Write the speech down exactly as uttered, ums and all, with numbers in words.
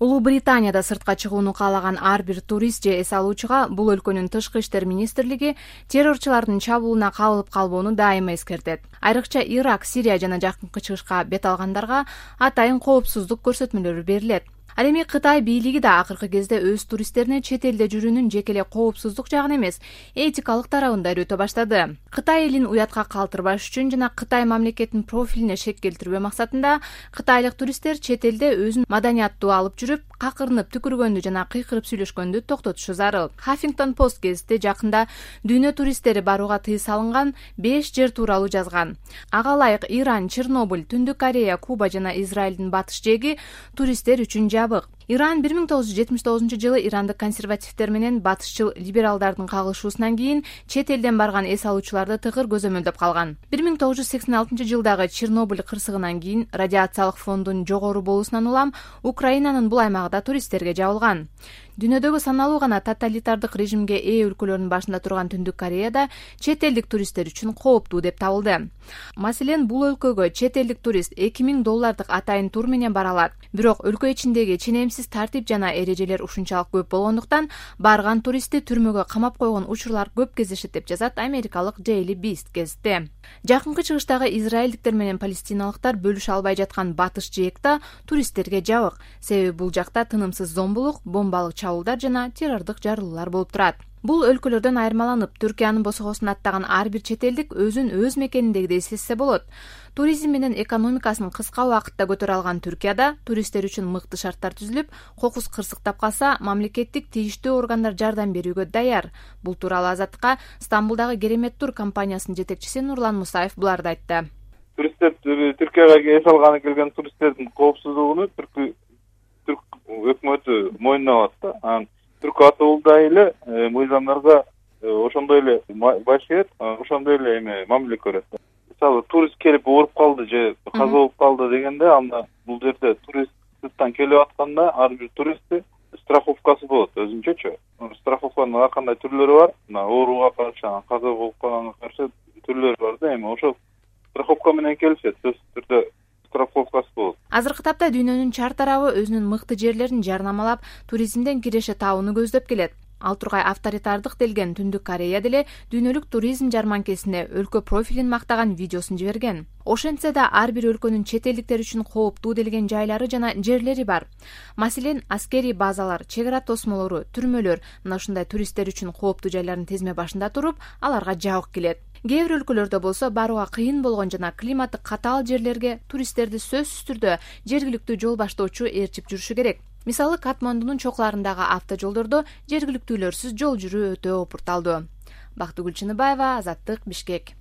Улуу Британияда сыртка чыгууну каалаган ар бир турист же эс алуучуга бул өлкөнүн тышкы иштер министрлиги террорчулардын чабуулуна кабылып калбоону дайыма эскертет. Айрыкча Ирак, Сирия жана жакынкы чыгышка бет алгандарга атайын коопсуздук көрсөтмөлөрү берилет. Ал эми Кытай бийлиги да акыркы кезде өз туристтерине чет элде жүрүүнүн жеке эле коопсуздук жагын эмес, этикалык тарабын да үйрөтө баштады. Кытай элин уятка калтырбаш үчүн жана Кытай мамлекетинин профилине шек келтирбөө максатында кытайлык туристтер чет элде өзүн маданияттуу алып жүрүп, какырынып түкүргөндү жана кыйкырып сүйлөшкөндү токтотушу зарыл. Huffington Post гезити жакында дүйнө туристтери барууга тыюу салынган беш жер тууралуу жазган. Ага ылайык Иран, Чернобыль, Түндүк Корея, Куба жана Израилдин батыш жээги туристтер үчүн жабык. Иран бир миң тогуз жүз жетимиш тогузунчу жылы ирандык консервативдер менен батышчыл либералдардын кагылышуусунан кийин чет элден барган эс алуучуларды тыгыр көзөмөлдөп калган. бир миң тогуз жүз сексен алтынчы жылдагы Чернобыль кырсыгынан кийин радиациялык фондун жогору болуусунан улам Украинанын бул аймагы да туристтерге жабылган. Дүйнөдөгү саналуу гана тоталитардык режимге ээ өлкөлөрдүн башында турган Түндүк Кореяда чет элдик туристтер үчүн кооптуу деп табылды. Маселен, бул өлкөгө чет элдик турист эки миң доллардык атайын тур менен бара алат. Бирок өлкө ичиндеги ченемсиз тартип жана эрежелер ушунчалык көп болгондуктан барган туристти түрмөгө камап койгон учурлар көп кездешет деп жазат америкалык Daily Beast гезити. Жакынкы чыгыштагы израилдиктер менен палестиналыктар бөлүшө албай жаткан батыш жээк да туристтерге жабык. Себеби бул жакта тынымсыз зомбулук, бомбалык чабуулдар жана террордук жарылуулар болуп турат. Бул өлкөлөрдөн айырмаланып, Түркиянын босогосун аттаган ар бир чет элдик өзүн өз мекениндегидей сезсе болот. Туризм менен экономикасын кыска убакытта көтөрө алган Түркияда туристтер үчүн мыкты шарттар түзүлүп, кокус кырсыктап калса, мамлекеттик тийиштүү органдар жардам берүүгө даяр. Бул тууралуу Азаттыкка Стамбулдагы Керемет тур компаниясынын жетекчиси Нурлан Мусаев буларды айтты. Туристтер Түркияга эс алганы келген туристтердин коопсуздугуну түрк өкмөтү мойнуна алат да. Түрк атуулда эле мыйзамдарга ошондой эле башкерет, ошондой эле эме мамиле көрөт. Мисалы, турист келип ооруп калды же каза болуп калды дегенде, анда бул жерде турист сырттан келип атканда ар бир туристти страховкасы болот өзүнчөчү. Страховканын ар кандай түрлөрү бар. Мына ооруга каршы, каза болуп калганга каршы түрлөрү бар да. Эми ошол страховка менен келишет, сөзсүз түрдө страховкасы болот. Азыркы тапта дүйнөнүн чар тарабы өзүнүн мыкты жерлерин жарнамалап, туризмден киреше табууну көздөп келет. Ал тургай авторитардык делген Түндүк Корея деле дүйнөлүк туризм жарманкесине өлкө профилин мактаган видеосун жиберген. Ошентсе да ар бир өлкөнүн чет элдиктер үчүн кооптуу делген жайлары жана жерлери бар. Маселен, аскерий базалар, чек ара тосмолору, түрмөлөр мына ушундай туристтер үчүн кооптуу жайлардын тизме башында туруп, аларга жабык келет. Кээ бир өлкөлөрдө болсо барууга кыйын болгон жана климаты катаал жерлерге туристтерди сөзсүз түрдө жергиликтүү жол баштоочу ээрчип жүрүшү керек. Мисалы, Катмандунун чокуларындагы автожолдордо жергиликтүүлөрсүз жол жүрүү өтө опурталдуу. Бактыгүл Чыныбаева, Азаттык, Бишкек.